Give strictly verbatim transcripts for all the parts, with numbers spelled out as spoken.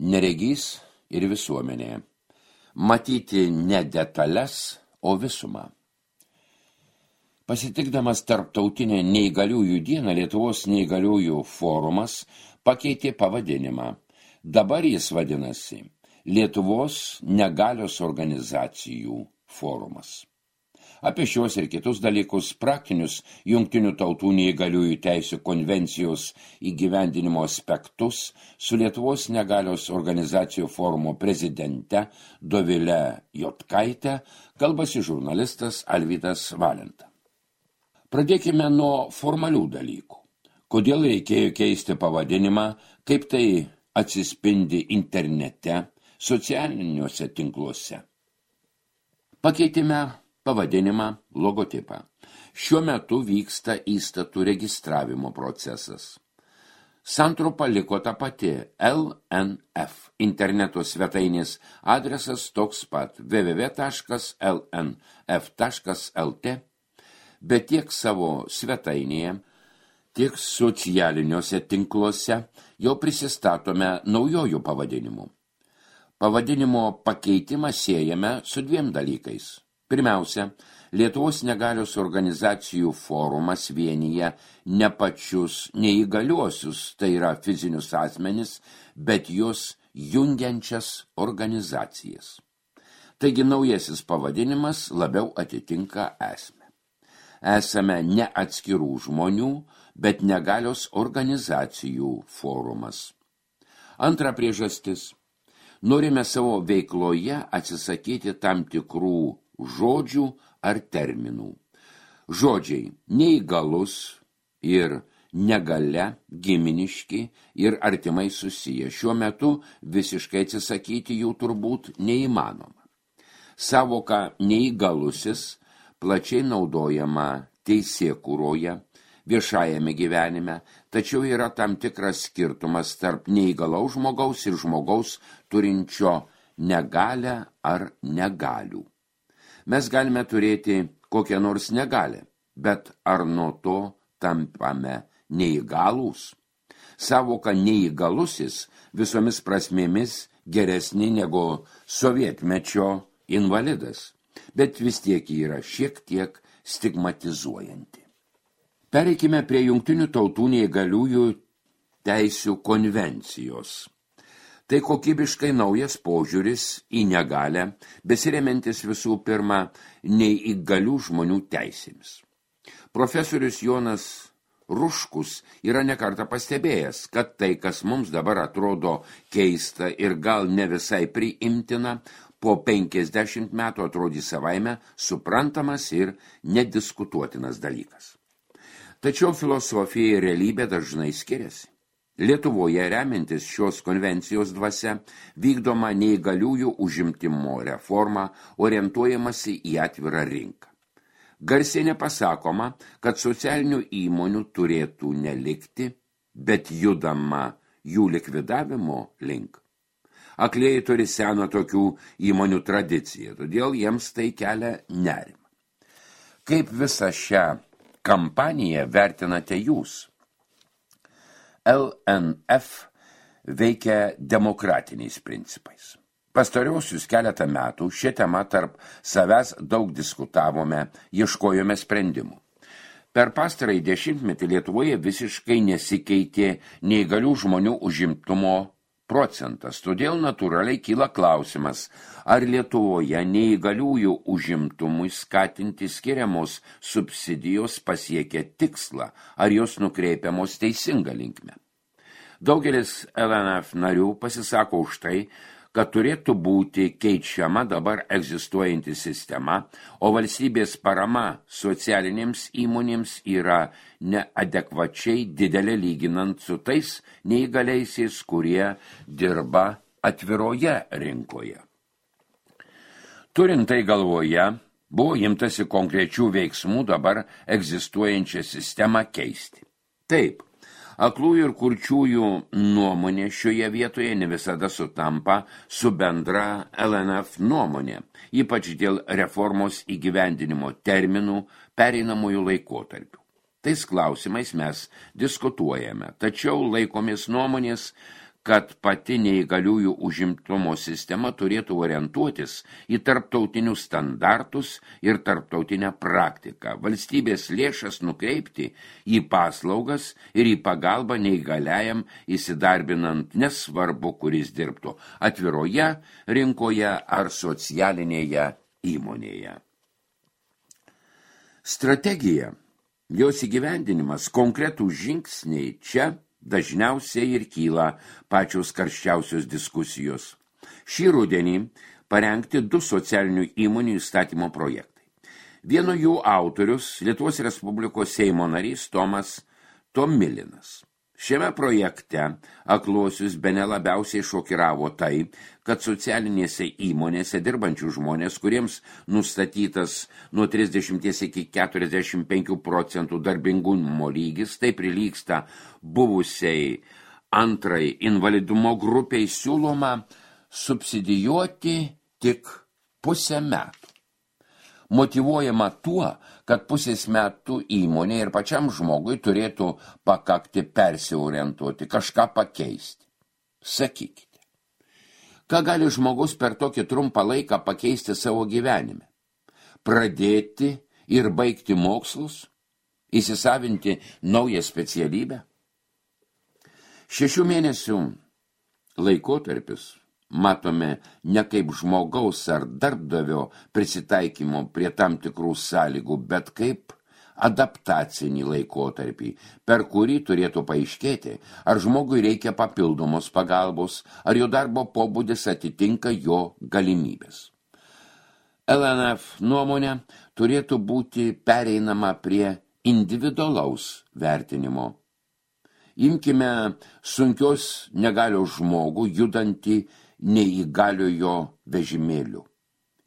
neregys ir visuomenė. Matyti ne detalės, o visumą. Pasitikdamas tarptautinę neįgaliųjų dieną, Lietuvos neįgaliųjų forumas pakeitė pavadinimą. Dabar jis vadinasi Lietuvos negalios organizacijų forumas. Apie šios ir kitus dalykus, praktinius Jungtinių tautų neįgaliųjų teisių konvencijos įgyvendinimo aspektus su Lietuvos negalios organizacijų forumo prezidente Dovile Jotkaite kalbasi žurnalistas Alvydas Valenta. Pradėkime nuo formalių dalykų. Kodėl reikėjo keisti pavadinimą, kaip tai atsispindi internete, socialiniuose tinkluose. Pakeitime pavadinimą, logotipą. Šiuo metu vyksta įstatų registravimo procesas. Santrumpa liko ta pati L N F. Interneto svetainės adresas toks pat w w w taškas l n f taškas l t, bet tiek savo svetainėje, tiek socialiniuose tinkluose jau prisistatome naujojų pavadinimų. Pavadinimo pakeitimą siejame su dviem dalykais. Pirmiausia, Lietuvos negalios organizacijų forumas vienyje ne pačius neįgaliuosius, tai yra fizinius asmenis, bet juos jungiančias organizacijas. Taigi naujasis pavadinimas labiau atitinka esmę. Esame ne atskirų žmonių, bet negalios organizacijų forumas. Antra priežastis. Norime savo veikloje atsisakyti tam tikrų žodžių ar terminų. Žodžiai neįgalus ir negalia, giminiški ir artimai susiję. Šiuo metu visiškai atsisakyti jų turbūt neįmanoma. Savoka neįgalusis plačiai naudojama teisėkūroje, viešajame gyvenime, tačiau yra tam tikras skirtumas tarp neįgalaus žmogaus ir žmogaus turinčio negalią ar negalių. Mes galime turėti kokią nors negalę, bet ar nuo to tampame neįgalūs? Savoka neįgalusis visomis prasmėmis geresnė negu sovietmečio invalidas, bet vis tiek yra šiek tiek stigmatizuojanti. Pereikime prie Jungtinių tautų neįgaliųjų teisių konvencijos. Tai kokybiškai naujas požiūris į negalią, besiremiantis visų pirma neįgalių žmonių teisėmis. Profesorius Jonas Ruškus yra nekartą pastebėjęs, kad tai, kas mums dabar atrodo keista ir gal ne visai priimtina, po penkiasdešimt metų atrodys savaime suprantamas ir nediskutuotinas dalykas. Tačiau filosofija ir realybė dažnai skiriasi. Lietuvoje remiantis šios konvencijos dvasia vykdoma neįgaliųjų užimtimo reforma orientuojamasi į atvirą rinką. Garsiai nepasakoma, kad socialinių įmonių turėtų nelikti, bet judama jų likvidavimo link. Aklieji turi seną tokių įmonių tradiciją, todėl jiems tai kelia nerimą. Kaip visą šią kampaniją vertinate jūs? L N F veikia demokratiniais principais. Pastariausius keletą metų šią temą tarp savęs daug diskutavome, ieškojome sprendimų. Per pastarąjį dešimtmetį Lietuvoje visiškai nesikeitė neįgalių žmonių užimtumo procentas, todėl natūraliai kyla klausimas, ar Lietuvoje neįgaliųjų užimtumui skatinti skiriamos subsidijos pasiekia tikslą, ar jos nukreipiamos teisinga linkme. Daugelis L N F narių pasisako už tai, kad turėtų būti keičiama dabar egzistuojanti sistema, o valstybės parama socialinėms įmonėms yra neadekvačiai didelė lyginant su tais neįgaliaisiais, kurie dirba atviroje rinkoje. Turint tai galvoje, buvo imtasi konkrečių veiksmų dabar egzistuojančią sistemą keisti. Taip, aklųjų ir kurčiųjų nuomonė šioje vietoje ne visada sutampa su bendra L N F nuomonė, ypač dėl reformos įgyvendinimo terminų pereinamųjų laikotarpių. Tais klausimais mes diskutuojame, tačiau laikomės nuomonės, kad pati neįgaliųjų užimtumo sistema turėtų orientuotis į tarptautinius standartus ir tarptautinę praktiką, valstybės lėšas nukreipti į paslaugas ir į pagalbą neįgaliajam įsidarbinant, nesvarbu, kuris dirbtų atviroje rinkoje ar socialinėje įmonėje. Strategija, jos įgyvendinimas, konkretų žingsniai čia dažniausiai ir kyla pačios karščiausios diskusijos. Šį rudenį parengti du socialinių įmonių įstatymo projektai. Vieno jų autorius Lietuvos Respublikos Seimo narys Tomas Tomilinas. Šiame projekte akluosius bene labiausiai šokiravo tai, kad socialinėse įmonėse dirbančių žmonės, kuriems nustatytas nuo trisdešimt iki keturiasdešimt penkių procentų darbingumo lygis, tai prilygsta buvusiai antrai invalidumo grupiai, siūloma subsidijuoti tik pusę metų. Motyvuojama tuo, kad pusės metų įmonė ir pačiam žmogui turėtų pakakti persiorientuoti, kažką pakeisti. Sakykite, ką gali žmogus per tokį trumpą laiką pakeisti savo gyvenime? Pradėti ir baigti mokslus? Įsisavinti naują specialybę? Šešių mėnesių laikotarpis matome ne kaip žmogaus ar darbdavio prisitaikymo prie tam tikrų sąlygų, bet kaip adaptacinį laikotarpį, per kurį turėtų paaiškėti, ar žmogui reikia papildomos pagalbos, ar jo darbo pobūdis atitinka jo galimybės. L N F nuomonė turėtų būti pereinama prie individualaus vertinimo. Imkime sunkios negalios žmogų judantį neįgaliojo vežimėliu.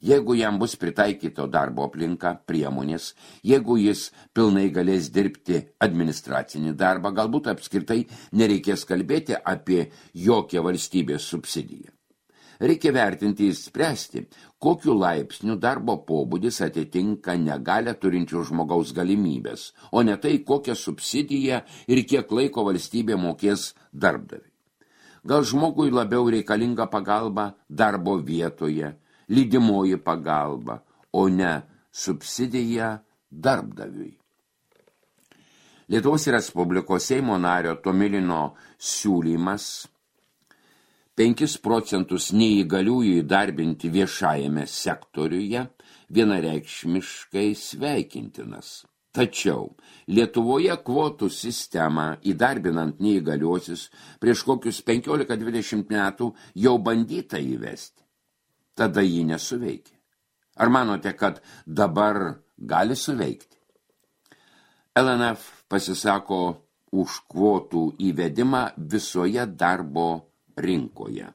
Jeigu jam bus pritaikyto darbo aplinka, priemonės, jeigu jis pilnai galės dirbti administracinį darbą, galbūt apskritai nereikės kalbėti apie jokią valstybės subsidiją. Reikia vertinti ir spręsti, kokiu laipsniu darbo pobūdis atitinka negalią turinčių žmogaus galimybės, o ne tai, kokią subsidiją ir kiek laiko valstybė mokės darbdaviui. Gal žmogui labiau reikalinga pagalba darbo vietoje, lydimoji pagalba, o ne subsidija darbdaviui. Lietuvos Respublikos Seimo nario Tomilino siūlymas penkis procentus neįgaliųjų įdarbinti viešajame sektoriuje vienareikšmiškai sveikintinas. Tačiau Lietuvoje kvotų sistemą įdarbinant neįgaliuosius prieš kokius penkiolika dvidešimt metų jau bandyta įvesti. Tada ji nesuveikė. Ar manote, kad dabar gali suveikti? L N F pasisako už kvotų įvedimą visoje darbo rinkoje.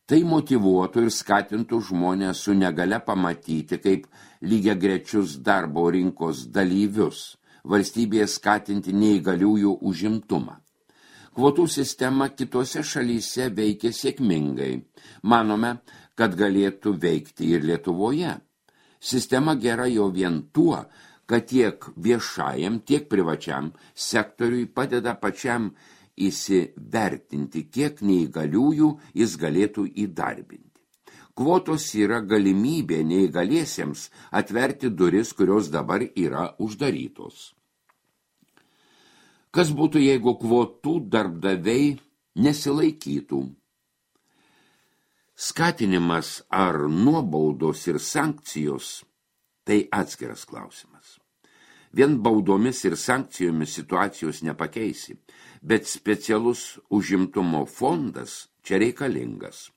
Tai motyvuotų ir skatintų žmonės su negale pamatyti kaip lygiagrečius darbo rinkos dalyvius, valstybėje skatinti neįgaliųjų užimtumą. Kvotų sistema kitose šalyse veikia sėkmingai. Manome, kad galėtų veikti ir Lietuvoje. Sistema gera jau vien tuo, kad tiek viešajam, tiek privačiam sektoriui padeda pačiam įsivertinti, kiek neįgaliųjų jis galėtų įdarbinti. Kvotos yra galimybė neįgaliesiems atverti duris, kurios dabar yra uždarytos. Kas būtų, jeigu kvotų darbdaviai nesilaikytų? Skatinimas ar nuobaudos ir sankcijos – tai atskiras klausimas. Vien baudomis ir sankcijomis situacijos nepakeisi, bet specialus užimtumo fondas čia reikalingas.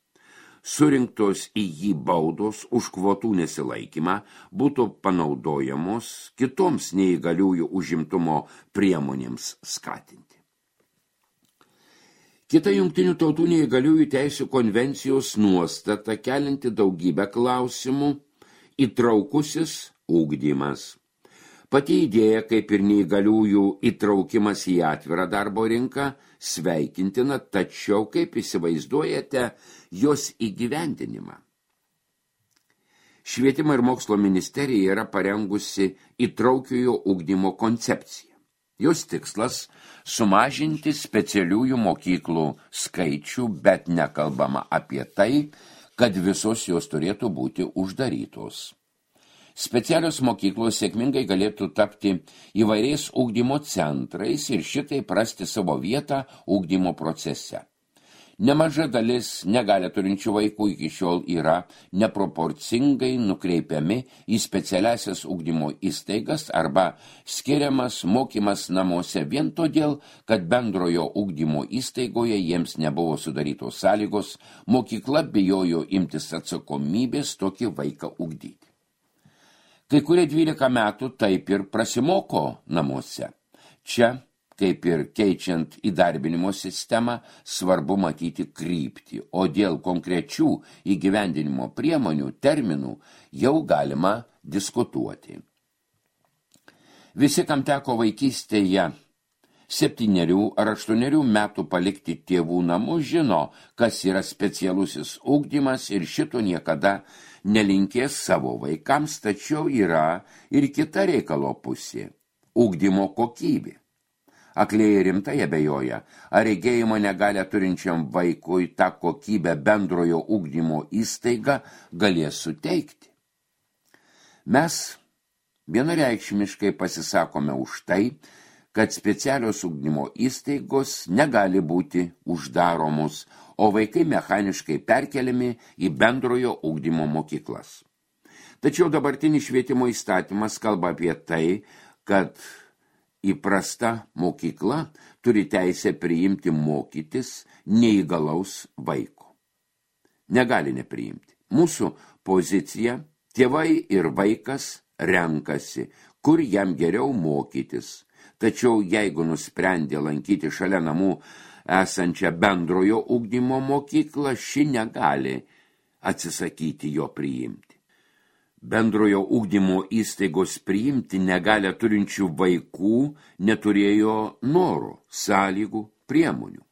Surinktos į jį baudos už kvotų nesilaikymą būtų panaudojamos kitoms neįgaliųjų užimtumo priemonėms skatinti. Kita Jungtinių tautų neįgaliųjų teisių konvencijos nuostata kelinti daugybę klausimų – įtraukusis ugdymas. Pati idėja, kaip ir neįgaliųjų įtraukimas į atvirą darbo rinką, sveikintina, tačiau kaip įsivaizduojate jos įgyvendinimą. Švietimo ir mokslo ministerija yra parengusi įtraukiojo ugdymo koncepciją. Jos tikslas – sumažinti specialiųjų mokyklų skaičių, bet nekalbama apie tai, kad visos jos turėtų būti uždarytos. Specialios mokyklos sėkmingai galėtų tapti įvairiais ugdymo centrais ir šitai prasti savo vietą ugdymo procese. Nemaža dalis negalę turinčių vaikų iki šiol yra neproporcingai nukreipiami į specialiasias ugdymo įstaigas arba skiriamas mokymas namuose vien todėl, kad bendrojo ugdymo įstaigoje jiems nebuvo sudarytos sąlygos, mokykla bijojo imtis atsakomybės tokį vaiką ugdyti. Kai kurie dvylika metų taip ir prasimoko namuose. Čia, kaip ir keičiant įdarbinimo sistemą, svarbu matyti kryptį, o dėl konkrečių įgyvendinimo priemonių terminų jau galima diskutuoti. Visi, kam teko vaikystėje septynerių ar aštuonerių metų palikti tėvų namus, žino, kas yra specialusis ugdymas ir šito niekada nelinkės savo vaikams, tačiau yra ir kita reikalo pusė – ugdymo kokybė. Aklieji rimtai abejoja, ar regėjimo negalę turinčiam vaikui tą kokybę bendrojo ugdymo įstaiga galės suteikti. Mes vienareikšmiškai pasisakome už tai, kad specialios ugdymo įstaigos negali būti uždaromos, o vaikai mechaniškai perkeliami į bendrojo ugdymo mokyklas. Tačiau dabartinis švietimo įstatymas kalba apie tai, kad įprasta mokykla turi teisę priimti mokytis neįgalaus vaiko. Negali nepriimti. Mūsų pozicija – tėvai ir vaikas renkasi, kur jam geriau mokytis. Tačiau jeigu nusprendė lankyti šalia namų esančią bendrojo ugdymo mokyklą, ši negali atsisakyti jo priimti. Bendrojo ugdymo įstaigos priimti negalę turinčių vaikų neturėjo noro, sąlygų, priemonių.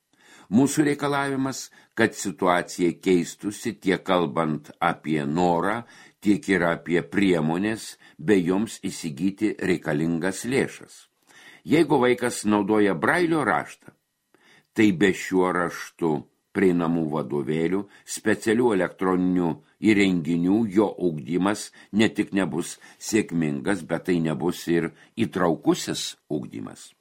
Mūsų reikalavimas, kad situacija keistusi tiek kalbant apie norą, tiek ir apie priemonės, bei joms įsigyti reikalingas lėšas. Jeigu vaikas naudoja brailio raštą, tai be šiuo raštu prieinamų vadovėlių, specialių elektroninių įrenginių jo ugdymas ne tik nebus sėkmingas, bet tai nebus ir įtraukusis ugdymas.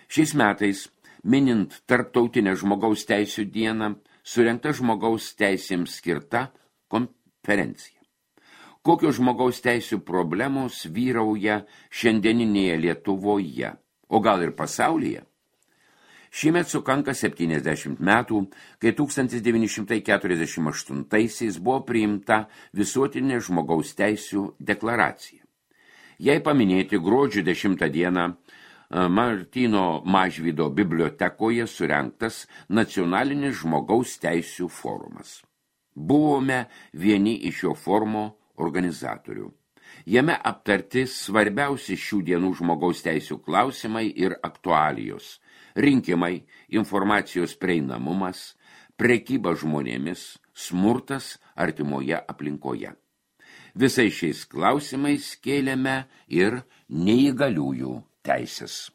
Šiais metais, minint Tarptautinę žmogaus teisių dieną, surengta žmogaus teisėms skirta konferencija. Kokios žmogaus teisių problemos vyrauja šiandieninėje Lietuvoje, o gal ir pasaulyje? Šįmet sukanka septyniasdešimt metų, kai tūkstantis devyni šimtai keturiasdešimt aštuntaisiais buvo priimta visuotinė žmogaus teisių deklaracija. Jai paminėti gruodžio dešimtą dieną Martyno Mažvydo bibliotekoje surengtas nacionalinis žmogaus teisių forumas. Buvome vieni iš šio forumo organizatorių. Jame aptarti svarbiausi šių dienų žmogaus teisių klausimai ir aktualijos – rinkimai, informacijos prieinamumas, prekyba žmonėmis, smurtas artimoje aplinkoje. Visais šiais klausimais kėlėme ir neįgaliųjų teisės.